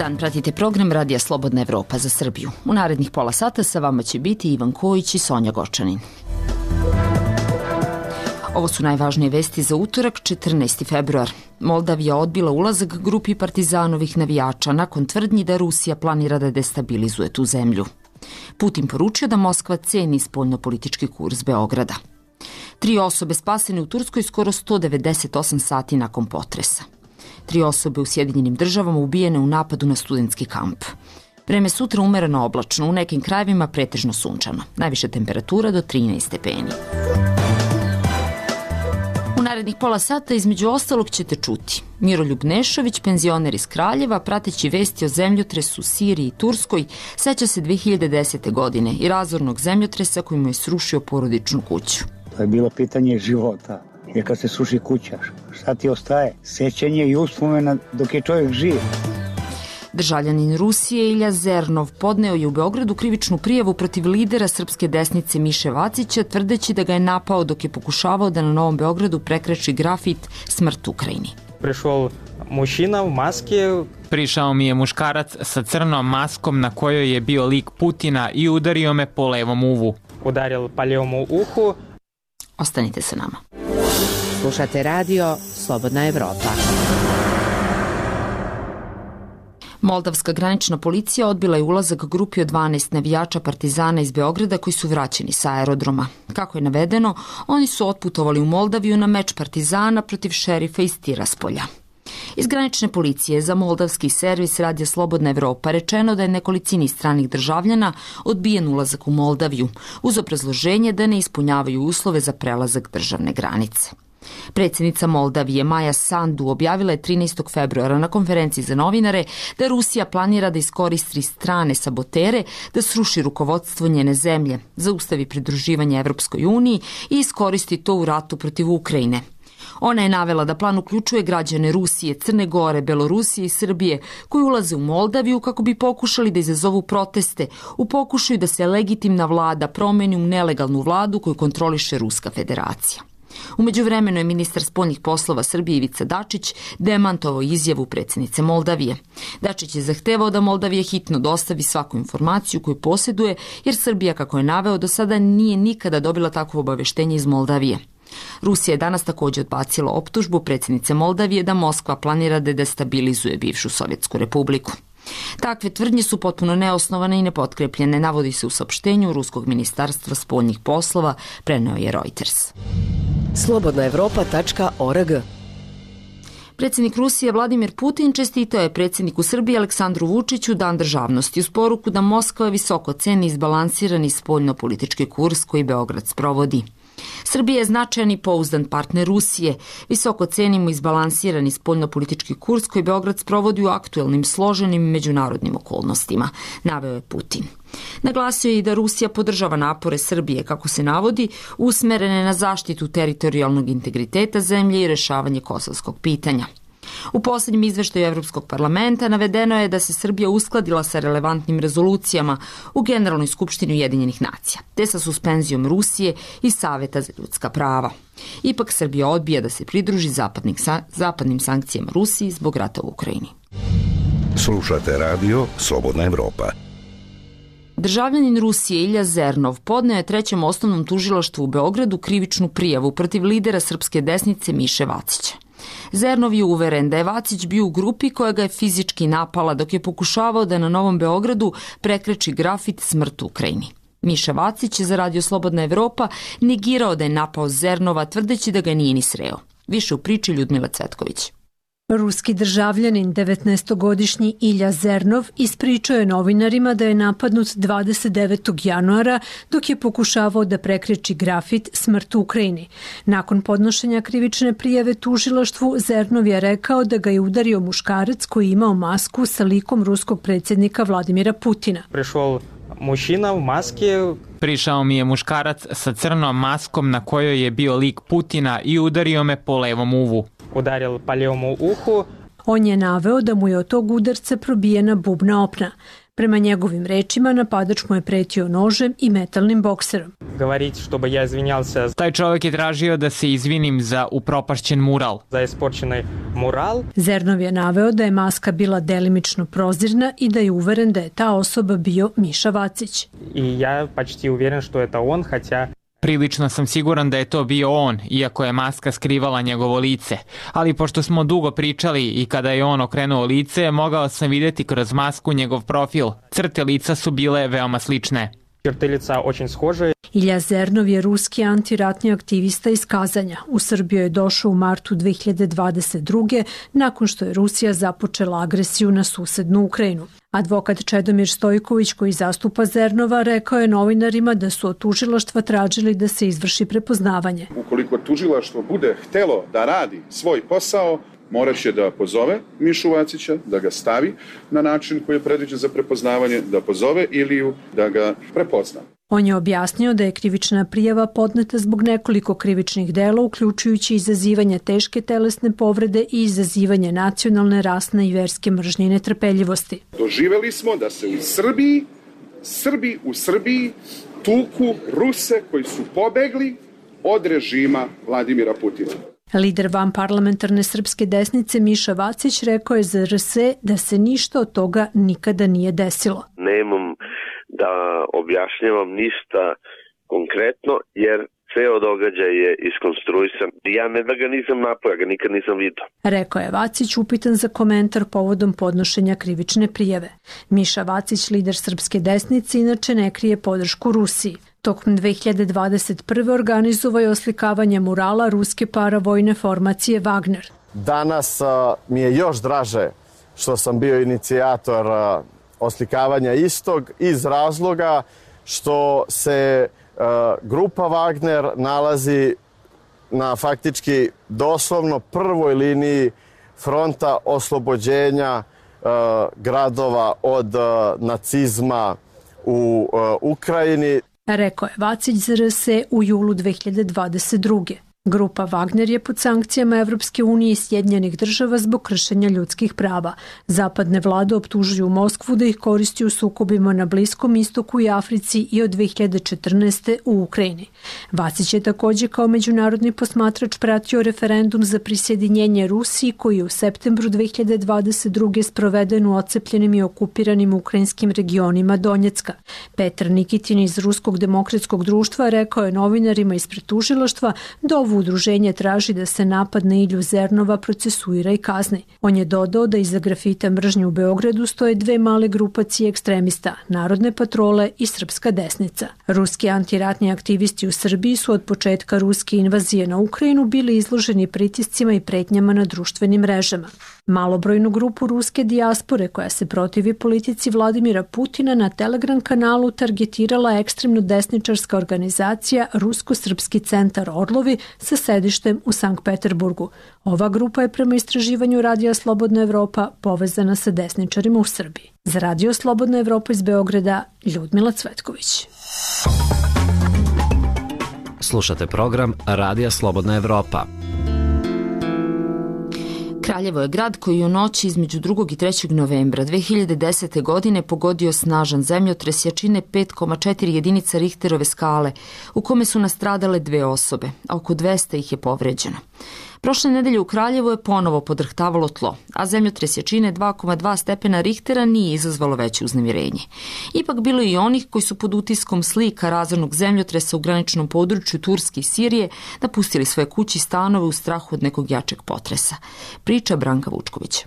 dan, pratite program Radija Slobodna Evropa za Srbiju. U narednih pola sata sa vama će biti Ivan Kojić i Sonja Gočanin. Ovo su najvažnije vesti za utorak, 14. februar. Moldavija odbila ulazak grupi partizanovih navijača nakon tvrdnji da Rusija planira da destabilizuje tu zemlju. Putin poručio da Moskva ceni spoljnopolitički kurs Beograda. 3 osobe spasene u Turskoj skoro 198 sati nakon potresa. 3 osobe u Sjedinjenim Državama ubijene u napadu na studentski kamp. Vreme sutra umereno oblačno, u nekim krajevima pretežno sunčano. Najviša temperatura do 13 stepeni. U narednih pola sata između ostalog ćete čuti Miroljub Nešović, penzioner iz Kraljeva, prateći vesti o zemljotresu u Siriji i Turskoj, seća se 2010. godine i razornog zemljotresa koji mu je srušio porodičnu kuću. To je bilo pitanje života, jer kad se sruši kuća, šta ti ostaje? Sećanje i uspomena dok je čovjek živ. Državljanin Rusije Ilja Zernov podneo je u Beogradu krivičnu prijavu protiv lidera srpske desnice Miše Vacića, tvrdeći da ga je napao dok je pokušavao da na Novom Beogradu prekreči grafit "Smrt Ukrajini". Prišao mi je muškarac sa crnom maskom na kojoj je bio lik Putina i udario me po levom uvu. Ostanite sa nama. Slušate radio Slobodna Evropa. Moldavska granična policija odbila je ulazak grupi od 12 navijača partizana iz Beograda koji su vraćeni sa aerodroma. Kako je navedeno, oni su otputovali u Moldaviju na meč partizana protiv šerifa iz Tiraspolja. Iz granične policije za moldavski servis Radija Slobodna Evropa rečeno da je nekolicini stranih državljana odbijen ulazak u Moldaviju, uz obrazloženje da ne ispunjavaju uslove za prelazak državne granice. Predsjednica Moldavije Maja Sandu objavila je 13. februara na konferenciji za novinare da Rusija planira da iskoristi strane sabotere, da sruši rukovodstvo njene zemlje, zaustavi pridruživanje Evropskoj uniji i iskoristi to u ratu protiv Ukrajine. Ona je navela da plan uključuje građane Rusije, Crne Gore, Belorusije i Srbije koji ulaze u Moldaviju kako bi pokušali da izazovu proteste u pokušaju da se legitimna vlada promeni u nelegalnu vladu koju kontroliše Ruska federacija. U međuvremenu je ministar spoljnih poslova Srbije Ivica Dačić demantovao izjavu predsjednice Moldavije. Dačić je zahtevao da Moldavija hitno dostavi svaku informaciju koju posjeduje, jer Srbija, kako je naveo, do sada nije nikada dobila takvo obaveštenje iz Moldavije. Rusija je danas također odbacila optužbu predsjednice Moldavije da Moskva planira da destabilizuje bivšu Sovjetsku republiku. Takve tvrdnje su potpuno neosnovane i nepotkrepljene, navodi se u saopštenju Ruskog ministarstva spoljnih poslova, preneo je Reuters. slobodnaevropa.org. Predsjednik Rusije Vladimir Putin čestitao je predsjedniku Srbije Aleksandru Vučiću Dan državnosti uz poruku da Moskva visoko ceni izbalansirani spoljnopolitički kurs koji Beograd sprovodi. Srbija je značajan i pouzdan partner Rusije. Visoko cenimo izbalansirani spoljnopolitički kurs koji Beograd sprovodi u aktuelnim složenim međunarodnim okolnostima, naveo je Putin. Naglasio je i da Rusija podržava napore Srbije, kako se navodi, usmerene na zaštitu teritorijalnog integriteta zemlje i rešavanje kosovskog pitanja. U posljednjem izveštaju Evropskog parlamenta navedeno je da se Srbija uskladila sa relevantnim rezolucijama u Generalnoj skupštini Ujedinjenih nacija, te sa suspenzijom Rusije i Saveta za ljudska prava. Ipak Srbija odbija da se pridruži zapadnim sankcijama Rusiji zbog rata u Ukrajini. Slušate radio Slobodna Evropa. Državljanin Rusije Ilja Zernov podneo je Trećem osnovnom tužilaštvu u Beogradu krivičnu prijavu protiv lidera srpske desnice Miše Vacića. Zernov je uveren da je Vacić bio u grupi koja ga je fizički napala dok je pokušavao da na Novom Beogradu prekreči grafit "Smrt Ukrajini". Miša Vacić je za Radio Slobodna Evropa negirao da je napao Zernova, tvrdeći da ga nije ni sreo. Više u priči Ljudmila Cvetković. Ruski državljanin, 19-godišnji Ilja Zernov, ispričao je novinarima da je napadnut 29. januara dok je pokušavao da prekreči grafit "Smrt Ukrajini". Nakon podnošenja krivične prijave tužilaštvu, Zernov je rekao da ga je udario muškarac koji je imao masku sa likom ruskog predsjednika Vladimira Putina. Prišao mi je muškarac sa crnom maskom na kojoj je bio lik Putina i udario me po levom uvu. On je naveo da mu je od tog udarca probijena bubna opna. Prema njegovim rečima, napadač mu je pretio nožem i metalnim bokserom. говорить, чтобы я извинялся Taj čovjek je tražio da se izvinim za upropašćen mural. за испорченный мурал. Zernov je naveo da je maska bila delimično prozirna i da je uveren da je ta osoba bio Miša Vacić. И я почти уверен, что это он, хотя Prilično sam siguran da je to bio on, iako je maska skrivala njegovo lice. Ali pošto smo dugo pričali i kada je on okrenuo lice, mogao sam vidjeti kroz masku njegov profil. Crte lica su bile veoma slične. черты лица очень схожие. Ilja Zernov je ruski antiratni aktivista iz Kazanja. U Srbiju je došao u martu 2022. nakon što je Rusija započela agresiju na susednu Ukrajinu. Advokat Čedomir Stojković, koji zastupa Zernova, rekao je novinarima da su od tužilaštva tražili da se izvrši prepoznavanje. Ukoliko tužilaštvo bude htelo da radi svoj posao, morat će da pozove Mišu Vacića, da ga stavi na način koji je predviđen za prepoznavanje, da pozove Iliju, da ga prepozna. On je objasnio da je krivična prijava podneta zbog nekoliko krivičnih dela, uključujući izazivanje teške telesne povrede i izazivanje nacionalne, rasne i verske mržnje i netrpeljivosti. Doživeli smo da se u Srbi u Srbiji tuku Ruse koji su pobegli od režima Vladimira Putina. Lider vanparlamentarne srpske desnice Miša Vacić rekao je za RS da se ništa od toga nikada nije desilo. Nemam da objašnjavam ništa konkretno, jer ceo događaj je iskonstruisan. Ja ne da ga nisam napao, ja ga nikad nisam vidio. Rekao je Vacić, upitan za komentar povodom podnošenja krivične prijave. Miša Vacić, lider srpske desnice, inače ne krije podršku Rusiji. Tokom 2021. organizovao je oslikavanje murala ruske paravojne formacije Wagner. Danas mi je još draže što sam bio inicijator oslikavanja istog iz razloga što se grupa Wagner nalazi na faktički doslovno prvoj liniji fronta oslobođenja gradova od nacizma u Ukrajini. Rekao je Vacić za RS u julu 2022. Grupa Wagner je pod sankcijama Evropske unije i Sjedinjenih država zbog kršenja ljudskih prava. Zapadne vlade optužuju Moskvu da ih koristi u sukobima na Bliskom istoku i Africi i od 2014. u Ukrajini. Vacić je također kao međunarodni posmatrač pratio referendum za prisjedinjenje Rusiji koji je u septembru 2022. sproveden u ocepljenim i okupiranim ukrajinskim regionima Donjecka. Petar Nikitin iz Ruskog demokratskog društva rekao je novinarima ispred tužilaštva da ovo udruženje traži da se napad na Ilju Zernova procesuira i kazni. On je dodao da iza grafita mržnje u Beogradu stoje dve male grupacije ekstremista, Narodne patrole i Srpska desnica. Ruski antiratni aktivisti u Srbiji su od početka ruske invazije na Ukrajinu bili izloženi pritiscima i pretnjama na društvenim mrežama. Malobrojnu grupu ruske dijaspore koja se protivi politici Vladimira Putina na Telegram kanalu targetirala ekstremno desničarska organizacija Rusko-srpski centar Orlovi sa sedištem u Sankt Peterburgu. Ova grupa je prema istraživanju Radija Slobodna Evropa povezana sa desničarima u Srbiji. Za Radio Slobodna Evropa iz Beograda, Ljudmila Cvetković. Slušate program Radija Slobodna Evropa. Kraljevo je grad koji u noći između 2. i 3. novembra 2010. godine pogodio snažan zemljotres jačine 5,4 jedinica Richterove skale, u kome su nastradale 2 osobe, a oko 200 ih je povređeno. Prošle nedelje u Kraljevu je ponovo podrhtavalo tlo, a zemljotres jačine 2,2 stepena Richtera nije izazvalo veće uznemirenje. Ipak bilo je i onih koji su pod utiskom slika razornog zemljotresa u graničnom području Turske i Sirije napustili svoje kuće i stanove u strahu od nekog jačeg potresa. Priča Branka Vučkovića.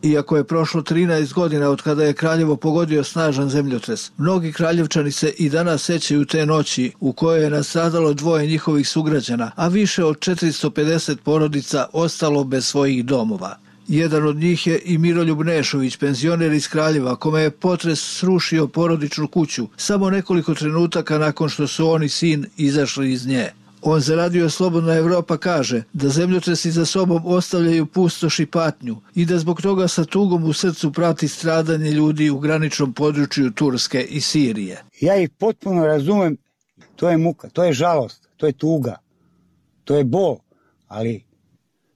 Iako je prošlo 13 godina od kada je Kraljevo pogodio snažan zemljotres, mnogi kraljevčani se i danas sećaju te noći u kojoj je nastradalo 2 njihovih sugrađana, a više od 450 porodica ostalo bez svojih domova. Jedan od njih je i Miroljub Nešović, penzioner iz Kraljeva, kome je potres srušio porodičnu kuću samo nekoliko trenutaka nakon što su on i sin izašli iz nje. On za Radio Slobodna Evropa kaže da zemljotresi za sobom ostavljaju pustoš i patnju i da zbog toga sa tugom u srcu prati stradanje ljudi u graničnom području Turske i Sirije. Ja ih potpuno razumem, to je muka, to je žalost, to je tuga, to je bol, ali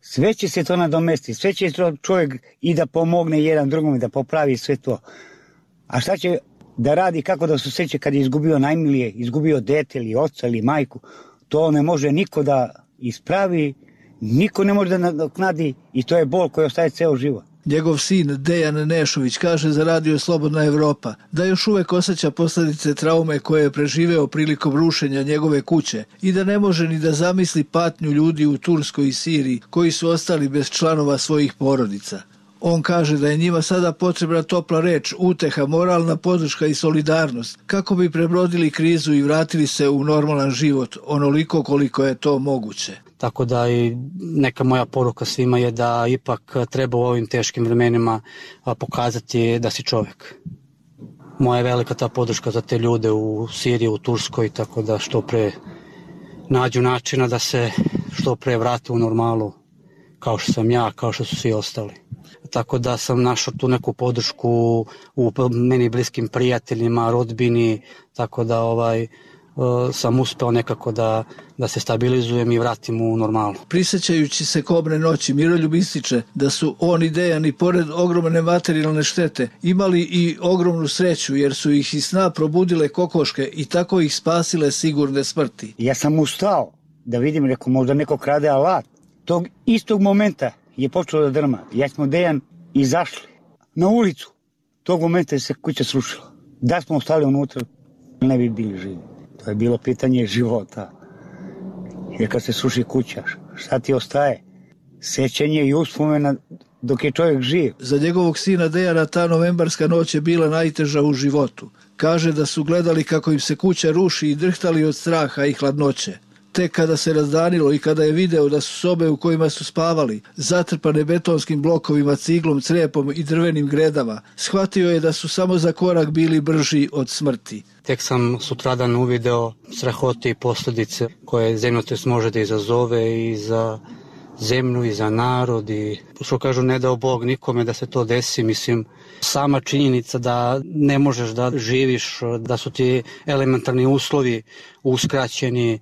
sve će se to nadomestiti, sve će to čovjek i da pomogne jedan drugom i da popravi sve to. A šta će da radi kako da se osjeća kad je izgubio najmilije, izgubio dete ili oca ili majku. To ne može niko da ispravi, niko ne može da nadoknadi i to je bol koji ostaje ceo život. Njegov sin Dejan Nešović kaže za Radio Slobodna Evropa da još uvek osjeća posljedice traume koje je preživeo prilikom rušenja njegove kuće i da ne može ni da zamisli patnju ljudi u Turskoj i Siriji koji su ostali bez članova svojih porodica. On kaže da je njima sada potrebna topla reč, uteha, moralna podrška i solidarnost kako bi prebrodili krizu i vratili se u normalan život onoliko koliko je to moguće. Tako da i neka moja poruka svima je da ipak treba u ovim teškim vremenima pokazati da si čovjek. Moja je velika ta podrška za te ljude u Siriji, u Turskoj, tako da što pre nađu načina da se što pre vrate u normalu, kao što sam ja, kao što su svi ostali. Tako da sam našao tu neku podršku u meni bliskim prijateljima, rodbini, tako da sam uspeo nekako da se stabilizujem i vratim u normalu. Prisjećajući se kobne noći, Miroljub ističe da su on i Dejan i pored ogromne materijalne štete imali i ogromnu sreću jer su ih iz sna probudile kokoške i tako ih spasile sigurne smrti. Ja sam ustao da vidim, rekao, možda neko krade alat. Tog istog momenta je počelo da drma. Ja smo Dejan izašli na ulicu. Tog momenta je se kuća srušila. Da smo ostali unutra, ne bi bili živi. To je bilo pitanje života. Jer kad se sruši kuća, šta ti ostaje? Sećanje i uspomena dok je čovjek živ. Za njegovog sina Dejana ta novembarska noć je bila najteža u životu. Kaže da su gledali kako im se kuća ruši i drhtali od straha i hladnoće. Tek kada se razdanilo i kada je video da su sobe u kojima su spavali zatrpane betonskim blokovima, ciglom, crepom i drvenim gredama, shvatio je da su samo za korak bili brži od smrti. Tek sam sutradan uvideo strahote i posljedice koje zemljotres može da izazove i za zemlju i za narod i što kažu ne dao Bog nikome da se to desi, mislim sama činjenica da ne možeš da živiš, da su ti elementarni uslovi uskraćeni,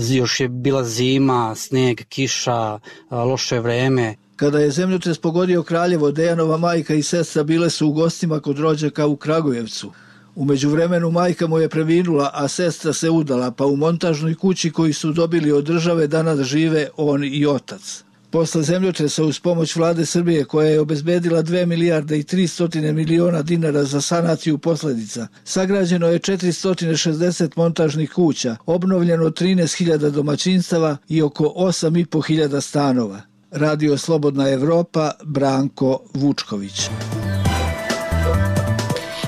još je bila zima, sneg, kiša, loše vreme. Kada je zemljotres pogodio Kraljevo, Dejanova majka i sestra bile su u gostima kod rođaka u Kragujevcu. U međuvremenu majka mu je preminula, a sestra se udala, pa u montažnoj kući koju su dobili od države danas žive on i otac. Posle zemljotresa uz pomoć vlade Srbije koja je obezbedila 2 milijarde i 300 miliona dinara za sanaciju posljedica, sagrađeno je 460 montažnih kuća, obnovljeno 13.000 domaćinstava i oko 8.500 stanova. Radio Slobodna Evropa, Branko Vučković.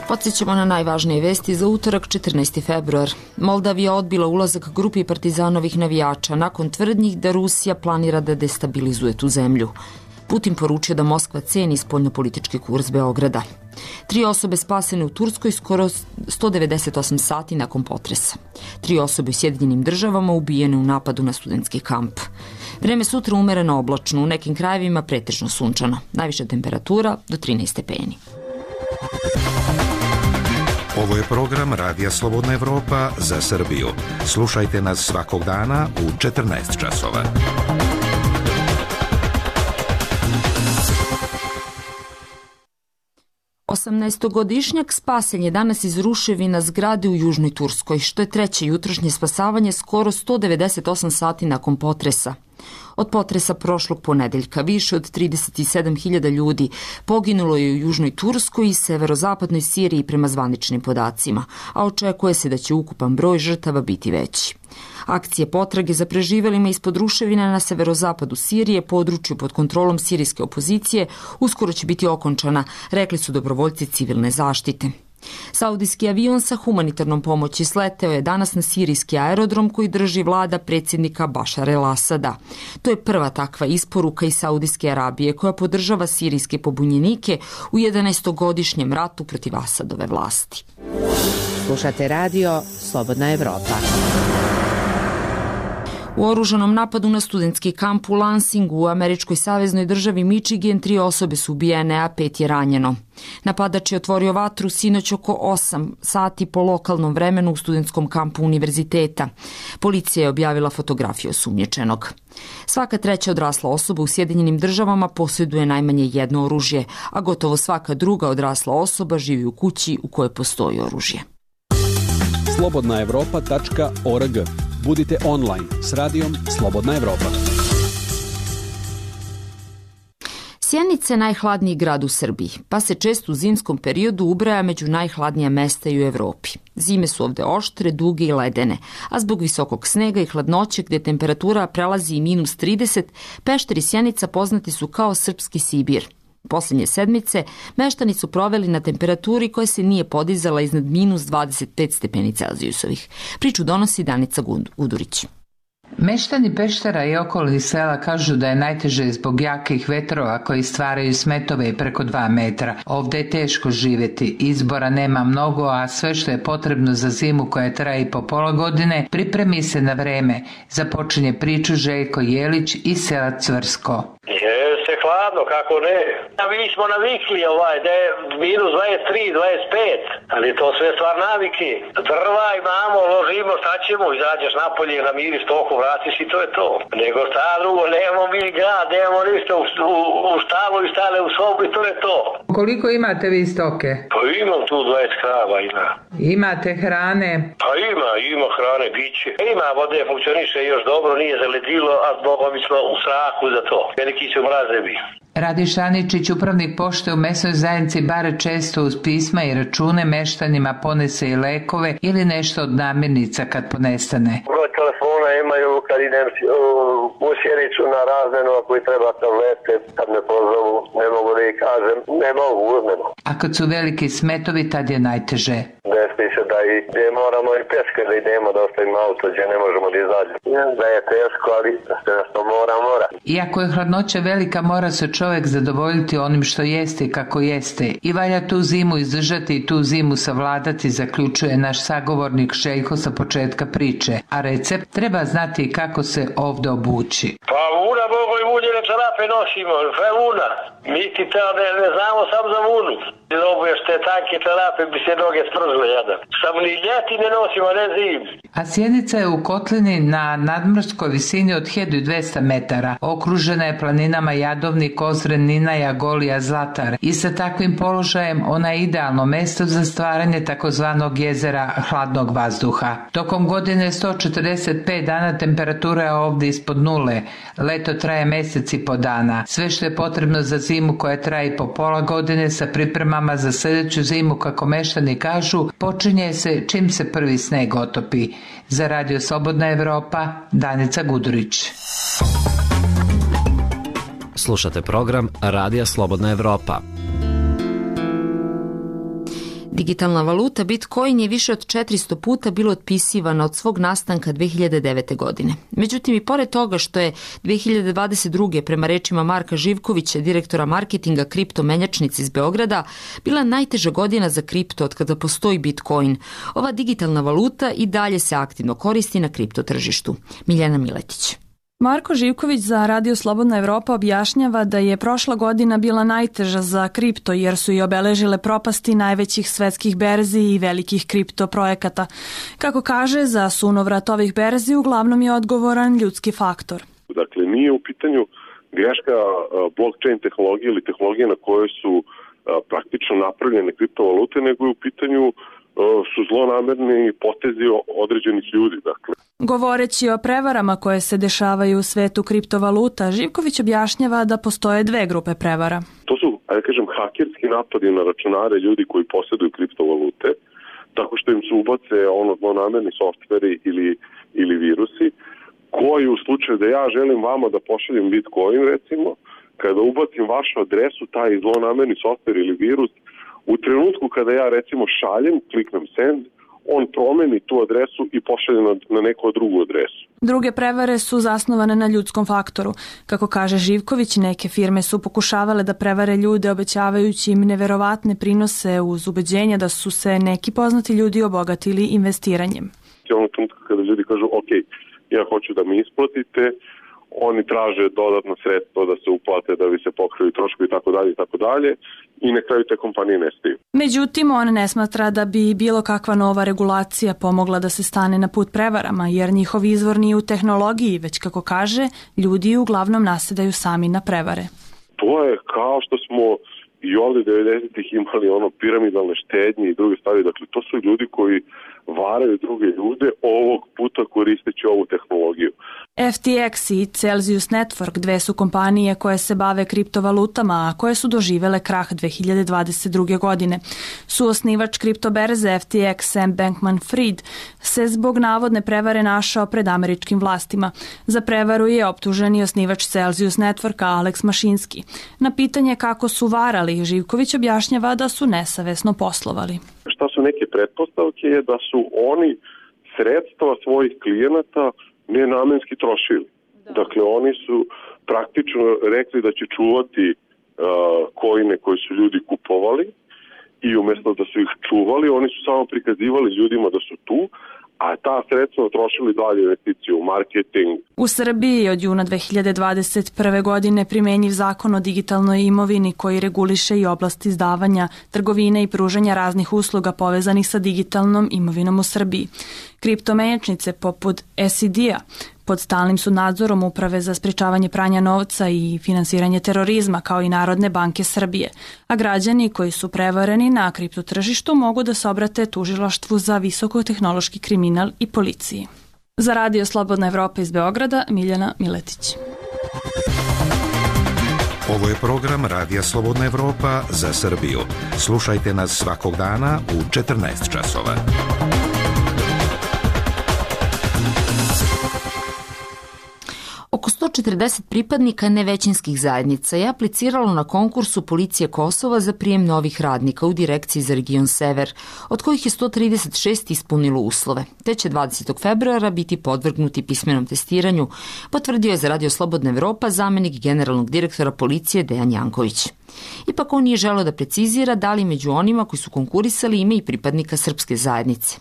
Podsjećamo na najvažnije vesti za utorak 14. februar. Moldavija odbila ulazak grupi partizanovih navijača nakon tvrdnjih da Rusija planira da destabilizuje tu zemlju. Putin poručio da Moskva ceni spoljnopolitički kurs Beograda. 3 osobe spasene u Turskoj skoro 198 sati nakon potresa. 3 osobe u Sjedinjenim Državama ubijene u napadu na studentski kamp. Vreme sutra umereno oblačno, u nekim krajevima pretežno sunčano. Najviša temperatura do 13 stepeni. Ovo je program Radija Slobodna Evropa za Srbiju. Slušajte nas svakog dana u 14 časova. Osamnaestogodišnjak spasen je danas iz ruševina zgrade u Južnoj Turskoj, što je treće jutrošnje spasavanje skoro 198 sati nakon potresa. Od potresa prošlog ponedeljka više od 37.000 ljudi poginulo je u Južnoj Turskoj i severozapadnoj Siriji prema zvaničnim podacima, a očekuje se da će ukupan broj žrtava biti veći. Akcije potrage za preživelima ispod ruševina na severozapadu Sirije, području pod kontrolom sirijske opozicije, uskoro će biti okončana, rekli su dobrovoljci civilne zaštite. Saudijski avion sa humanitarnom pomoći sleteo je danas na sirijski aerodrom koji drži vlada predsjednika Bašar el-Asada. To je prva takva isporuka iz Saudijske Arabije koja podržava sirijske pobunjenike u 11-godišnjem ratu protiv Asadove vlasti. Slušate radio Slobodna Evropa. U oružanom napadu na studentski kamp u Lansingu u američkoj saveznoj državi Michigan 3 osobe su ubijene, a 5 je ranjeno. Napadač je otvorio vatru sinoć oko 8 sati po lokalnom vremenu u studentskom kampu univerziteta. Policija je objavila fotografiju osumnjičenog. Svaka treća odrasla osoba u Sjedinjenim državama posjeduje najmanje jedno oružje, a gotovo svaka druga odrasla osoba živi u kući u kojoj postoji oružje. slobodnaevropa.org. Budite online s radijom Slobodna Evropa. Sjenica je najhladniji grad u Srbiji, pa se često u zimskom periodu ubraja među najhladnija mesta i u Evropi. Zime su ovde oštre, duge i ledene, a zbog visokog snega i hladnoće gdje temperatura prelazi i -30, Pešter i Sjenica poznati su kao srpski Sibir. Posljednje sedmice meštani su proveli na temperaturi koja se nije podizala iznad -25 stepeni Celzijusovih. Priču donosi Danica Gudurić. Meštani Peštera i okolnih sela kažu da je najteže zbog jakih vetrova koji stvaraju smetove preko 2 metra. Ovde je teško živjeti, izbora nema mnogo, a sve što je potrebno za zimu koja traje i po pola godine pripremi se na vreme. Započinje priču Željko Jelić iz sela Cvrsko. Jeste hladno, kako ne. Mi smo navikli da je -23, 25, ali to sve stvar navike. Drva imamo, ložimo, šta ćemo, izađeš napolje, namiriš toku, vratiš i to je to. Nego šta drugo, nemamo mi grad, nemamo ništa u štalu i stale u sobu i to je to. Koliko imate vi stoke? Pa imam tu 20 krava, ima. Imate hrane? Pa ima hrane, biće. Ima vode, funkcioniše još dobro, nije zaledilo, a zbogom mi smo u strahu za to. Veliki su mrazevi. Radi Šaničić, upravnik pošte u mesnoj zajednici Bare, često uz pisma i račune meštanima ponese i lekove ili nešto od namirnica kad ponestane. Broj telefona imaju kad idem u Sjenicu na razmenu, ako i treba tablete, kad me pozovu, ne mogu da ih kažem, ne mogu, uzmeno. A kad su veliki smetovi, tad je najteže. Despi se da i gdje moramo i peške da idemo, da ostavimo auto, gdje ne možemo da izađemo. Da je teško, ali sve što mora. Iako je hladnoća velika, mora se čovjek zadovoljiti onim što jeste i kako jeste. I valja tu zimu izdržati i tu zimu savladati, zaključuje naš sagovornik Željko sa početka priče. A recept treba znati kako se ovdje obući. Pa vuna, bogo i vunjene čarape nosimo, sve vuna. Mi ti te ne znamo sam za vunu. Dobuješ te tanke čarape, bi se noge spržile jadan. Samo ni ljeti ne nosimo, ne zim. A Sjenica je u kotlini na nadmorskoj visini od 1200 metara. Okružena je planinama Jadovnik, Ozren, Ninaja, Golija, Zlatar. I sa takvim položajem ona je idealno mesto za stvaranje takozvanog jezera hladnog vazduha. Tokom godine 145 dana temperatura je ovdje ispod nule. Leto traje mjesec i po dana. Sve što je potrebno za zimu koja traje po pola godine sa pripremama za sljedeću zimu, kako meštani kažu, počinje se čim se prvi sneg otopi. Za Radio Slobodna Evropa, Danica Gudurić. Slušate program Radija Slobodna Evropa. Digitalna valuta Bitcoin je više od 400 puta bilo otpisivana od svog nastanka 2009. godine. Međutim, i pored toga što je 2022. prema rečima Marka Živkovića, direktora marketinga kripto menjačnice iz Beograda, bila najteža godina za kripto od kada postoji Bitcoin. Ova digitalna valuta i dalje se aktivno koristi na kripto tržištu. Miljana Miletić. Marko Živković za Radio Slobodna Evropa objašnjava da je prošla godina bila najteža za kripto jer su i obeležile propasti najvećih svetskih berzi i velikih kripto projekata. Kako kaže, za sunovrat ovih berzi uglavnom je odgovoran ljudski faktor. Dakle, nije u pitanju greška blockchain tehnologije ili tehnologije na kojoj su praktično napravljene kriptovalute, nego je u pitanju su zlonamerni potezi određenih ljudi. Dakle. Govoreći o prevarama koje se dešavaju u svetu kriptovaluta, Živković objašnjava da postoje dve grupe prevara. To su, hakerski napadi na računare ljudi koji posjeduju kriptovalute, tako što im se ubace zlonamerni softveri ili virusi, koji u slučaju da ja želim vama da pošaljem Bitcoin, recimo, kada ubacim vašu adresu, taj zlonamerni softver ili virus, u trenutku kada ja recimo šaljem, kliknem send, on promeni tu adresu i pošalje na neku drugu adresu. Druge prevare su zasnovane na ljudskom faktoru. Kako kaže Živković, neke firme su pokušavale da prevare ljude obećavajući im neverovatne prinose uz ubeđenja da su se neki poznati ljudi obogatili investiranjem. Ono trenutka kada ljudi kažu, ok, ja hoću da mi isplatite, oni traže dodatno sredstvo da se uplate, da bi se pokrili troškovi i tako dalje i na kraju te kompanije nestaju. Međutim, on ne smatra da bi bilo kakva nova regulacija pomogla da se stane na put prevarama, jer njihov izvor nije u tehnologiji, već kako kaže, ljudi uglavnom nasedaju sami na prevare. To je kao što smo i ovde 90-ih imali piramidalne štednje i druge stvari. Dakle, to su ljudi koji varaju druge ljude, ovog puta koristeći ovu tehnologiju. FTX i Celsius Network, dve su kompanije koje se bave kriptovalutama, a koje su doživele krah 2022. godine. Suosnivač kriptoberze FTX Sam Bankman-Fried se zbog navodne prevare našao pred američkim vlastima. Za prevaru je optužen i osnivač Celsius Networka Alex Mašinski. Na pitanje kako su varali, Živković objašnjava da su nesavesno poslovali. Šta su neke pretpostavke je da su oni sredstva svojih klijenata nenamenski trošili. Dakle, oni su praktično rekli da će čuvati coine koji su ljudi kupovali i umjesto da su ih čuvali, oni su samo prikazivali ljudima da su tu, a ta sredstva trošili dalje investiciju u marketing. U Srbiji od juna 2021. godine primenjiv zakon o digitalnoj imovini koji reguliše i oblast izdavanja, trgovine i pružanja raznih usluga povezanih sa digitalnom imovinom u Srbiji. Kriptomenjačnice poput SED-a pod stalnim su nadzorom Uprave za sprečavanje pranja novca i finansiranje terorizma kao i Narodne banke Srbije, a građani koji su prevareni na kriptotržištu mogu da se obrate tužilaštvu za visokotehnološki kriminal i policiji. Za Radio Slobodna Evropa iz Beograda, Miljana Miletić. Ovo je program Radija Slobodna Evropa za Srbiju. Slušajte nas svakog dana u 14 časova. Oko 140 pripadnika nevećinskih zajednica je apliciralo na konkursu Policije Kosova za prijem novih radnika u Direkciji za region Sever, od kojih je 136 ispunilo uslove. Te će 20. februara biti podvrgnuti pismenom testiranju, potvrdio je za Radio Slobodna Evropa zamenik generalnog direktora policije Dejan Janković. Ipak on nije želeo da precizira da li među onima koji su konkurisali ima i pripadnika srpske zajednice.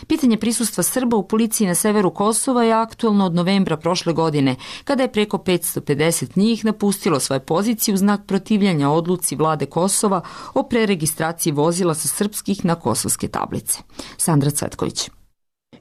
Pitanje prisustva Srba u policiji na severu Kosova je aktuelno od novembra prošle godine, kada je preko 550 njih napustilo svoje pozicije u znak protivljenja odluci vlade Kosova o preregistraciji vozila sa srpskih na kosovske tablice. Sandra Cvetković.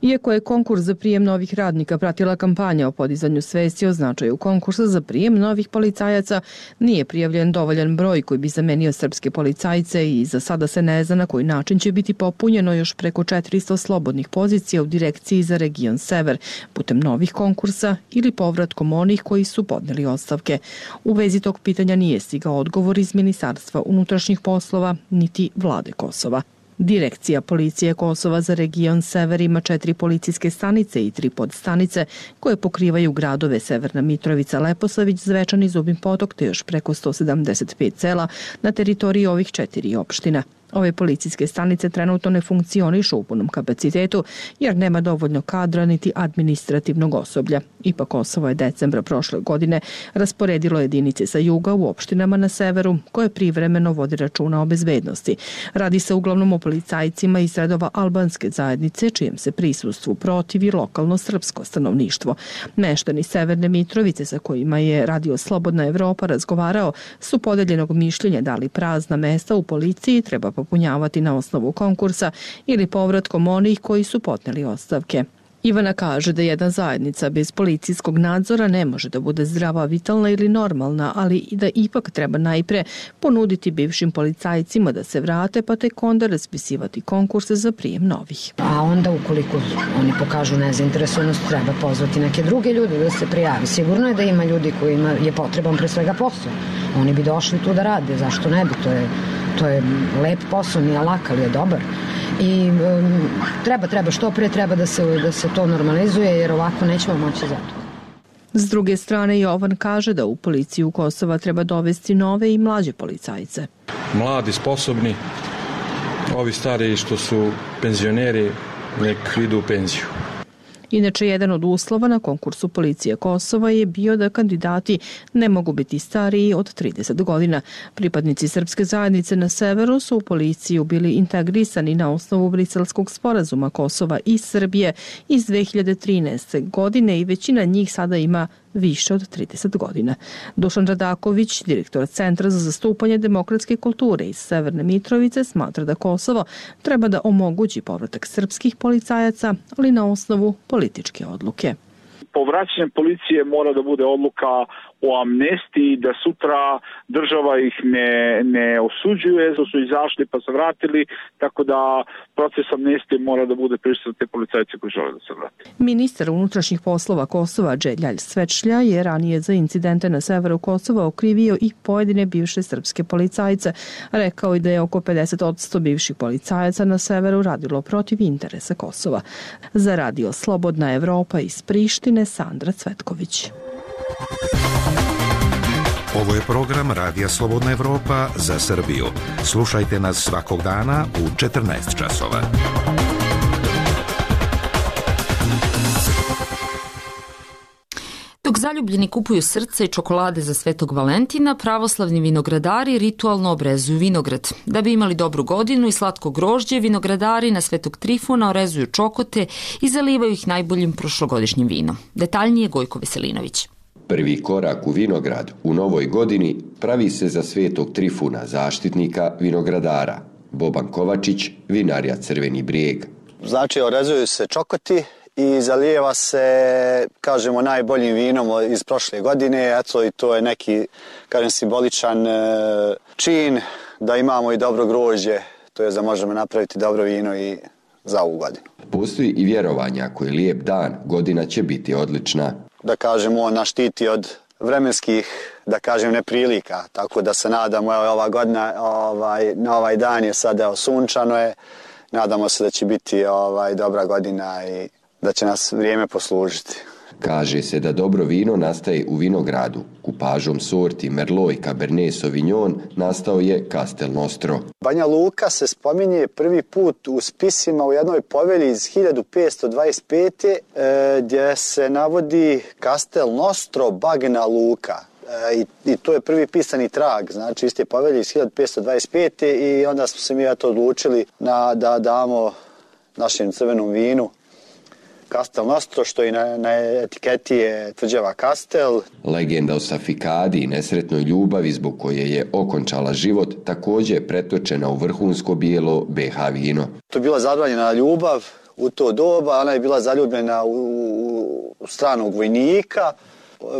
Iako je konkurs za prijem novih radnika pratila kampanja o podizanju svesti o značaju konkursa za prijem novih policajaca, nije prijavljen dovoljan broj koji bi zamenio srpske policajce i za sada se ne zna na koji način će biti popunjeno još preko 400 slobodnih pozicija u Direkciji za region Sever, putem novih konkursa ili povratkom onih koji su podneli ostavke. U vezi tog pitanja nije stigao odgovor iz Ministarstva unutrašnjih poslova niti vlade Kosova. Direkcija Policije Kosova za region Sever ima 4 policijske stanice i 3 podstanice koje pokrivaju gradove Severna Mitrovica, Leposavić, Zvečan i Zubin Potok te još preko 175 sela na teritoriji ovih 4 opština. Ove policijske stanice trenutno ne funkcionišu u punom kapacitetu jer nema dovoljno kadra niti administrativnog osoblja. Ipak Kosovo je decembra prošle godine rasporedilo jedinice sa juga u opštinama na severu koje privremeno vodi računa o bezbednosti. Radi se uglavnom o policajcima iz redova albanske zajednice čijem se prisustvu protivi lokalno srpsko stanovništvo. Meštani Severne Mitrovice sa kojima je Radio Slobodna Evropa razgovarao su podeljenog mišljenja da li prazna mesta u policiji treba popunjavati na osnovu konkursa ili povratkom onih koji su podneli ostavke. Ivana kaže da jedna zajednica bez policijskog nadzora ne može da bude zdrava, vitalna ili normalna, ali i da ipak treba najpre ponuditi bivšim policajcima da se vrate, pa tek onda raspisivati konkurse za prijem novih. A onda ukoliko oni pokažu nezainteresovanost, treba pozvati neke druge ljude da se prijavi. Sigurno je da ima ljudi kojima je potreban pre svega posao. Oni bi došli tu da rade, zašto ne bi? To je lep posao, nije lak, ali je dobar. I treba što pre treba da se to normalizuje jer ovako nećemo moći za to. S druge strane, Jovan kaže da u policiju Kosova treba dovesti nove i mlađe policajce. Mladi, sposobni, ovi stariji što su penzioneri nek idu u penziju. Inače, jedan od uslova na konkursu policije Kosova je bio da kandidati ne mogu biti stariji od 30 godina. Pripadnici srpske zajednice na severu su u policiju bili integrisani na osnovu Briselskog sporazuma Kosova i Srbije iz 2013. godine i većina njih sada ima više od 30 godina. Dušan Radaković, direktor Centra za zastupanje demokratske kulture iz Severne Mitrovice, smatra da Kosovo treba da omogući povratak srpskih policajaca, ali na osnovu političke odluke. Povraćanje policije mora da bude odluka o amnestiji, da sutra država ih ne osuđuje, da su izašli pa se vratili, tako da proces amnestije mora da bude prisutan te policajce koji žele da se vrati. Ministar unutrašnjih poslova Kosova Đeljalj Svečlja je ranije za incidente na severu Kosova okrivio i pojedine bivše srpske policajce. Rekao je da je oko 50% bivših policajaca na severu radilo protiv interesa Kosova. Za Radio Slobodna Evropa iz Prištine, Sandra Cvetković. Ovo je program Radija Slobodna Evropa za Srbiju. Slušajte nas svakog dana u 14 časova. Dok zaljubljeni kupuju srce i čokolade za Svetog Valentina, pravoslavni vinogradari ritualno obrezuju vinograd. Da bi imali dobru godinu i slatko grožđe, vinogradari na Svetog Trifuna orezuju čokote i zalivaju ih najboljim prošlogodišnjim vinom. Detaljnije Gojko Veselinović. Prvi korak u vinograd u novoj godini pravi se za Svetog Trifuna, zaštitnika vinogradara. Boban Kovačić, vinarija Crveni Brijeg. Znači, orezuju se čokoti i zalijeva se, kažemo, najboljim vinom iz prošle godine. Eto, i to je neki, kažem, simboličan čin da imamo i dobro grožđe, to je da možemo napraviti dobro vino i za ovu godinu. Postoji i vjerovanje, ako je lijep dan, godina će biti odlična. Da kažemo, on nas štiti od vremenskih, da kažem, neprilika, tako da se nadamo, ova godina, na ovaj dan je sada sunčano je, nadamo se da će biti dobra godina i da će nas vrijeme poslužiti. Kaže se da dobro vino nastaje u vinogradu. Kupažom sorti Merlot i Cabernet Sauvignon nastao je Castel Nostro. Banja Luka se spominje prvi put u spisima u jednoj povelji iz 1525. Gdje se navodi Castel Nostro Bagna Luka. I to je prvi pisani trag, znači iste povelje iz 1525. I onda smo se mi odlučili da damo našem crvenom vinu Castel Nostro, što i na etiketi je tvrđava Castel. Legenda o Safikadi i nesretnoj ljubavi zbog koje je okončala život također je pretočena u vrhunsko bijelo BH vino. To je bila zabranjena ljubav u to doba, ona je bila zaljubljena u stranog vojnika.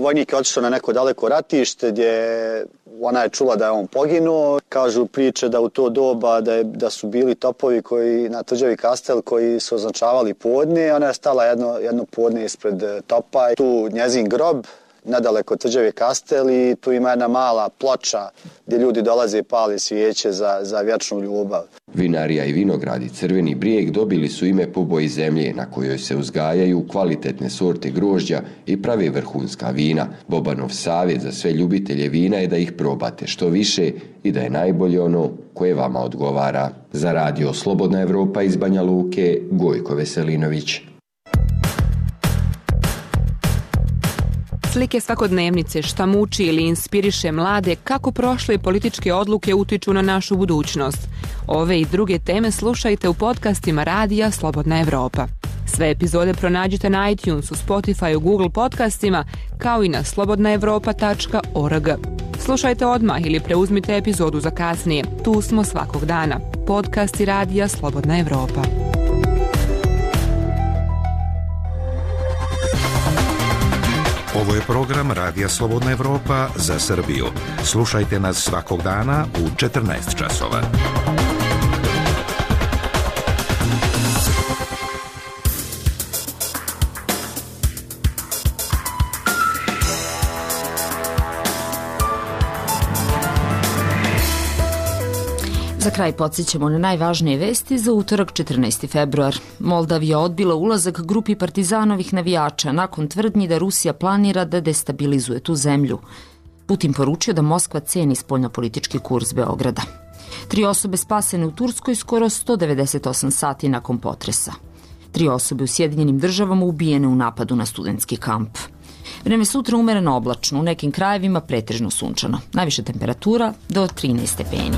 Vojnik je otišao na neko daleko ratište gdje ona je čula da je on poginuo. Kažu priče da u to doba da su bili topovi koji na tvrđavi Castel koji su označavali podne. Ona je stala jedno podne ispred topa. Tu njezin grob nadaleko od tvrđave Castel i tu ima jedna mala ploča gdje ljudi dolaze i pali svijeće za vječnu ljubav. Vinarija i vinogradi Crveni Brijeg dobili su ime po boji zemlje na kojoj se uzgajaju kvalitetne sorte grožđa i prave vrhunska vina. Bobanov savjet za sve ljubitelje vina je da ih probate što više i da je najbolje ono koje vama odgovara. Za Radio Slobodna Evropa iz Banja Luke, Gojko Veselinović. Slike svakodnevnice, šta muči ili inspiriše mlade, kako prošle političke odluke utiču na našu budućnost. Ove i druge teme slušajte u podcastima Radija Slobodna Evropa. Sve epizode pronađite na iTunesu, Spotify, Google podcastima, kao i na slobodnaevropa.org. Slušajte odmah ili preuzmite epizodu za kasnije. Tu smo svakog dana. Podcasti Radija Slobodna Evropa. Ovo je program Radija Slobodna Evropa za Srbiju. Slušajte nas svakog dana u 14 časova. Za kraj podsjećamo na najvažnije vesti za utorak 14. februar. Moldavija odbila ulazak grupi partizanovih navijača nakon tvrdnji da Rusija planira da destabilizuje tu zemlju. Putin poručio da Moskva ceni spoljnopolitički kurs Beograda. 3 osobe spasene u Turskoj skoro 198 sati nakon potresa. 3 osobe u Sjedinjenim državama ubijene u napadu na studentski kamp. Vreme sutra umereno oblačno, u nekim krajevima pretežno sunčano. Najviša temperatura do 13 stepeni.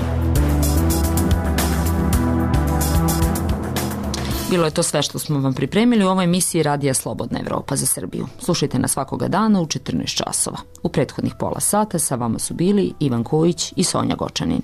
Bilo je to sve što smo vam pripremili u ovoj emisiji Radija Slobodna Evropa za Srbiju. Slušajte nas svakoga dana u 14 časova. U prethodnih pola sata sa vama su bili Ivan Kojić i Sonja Gočanin.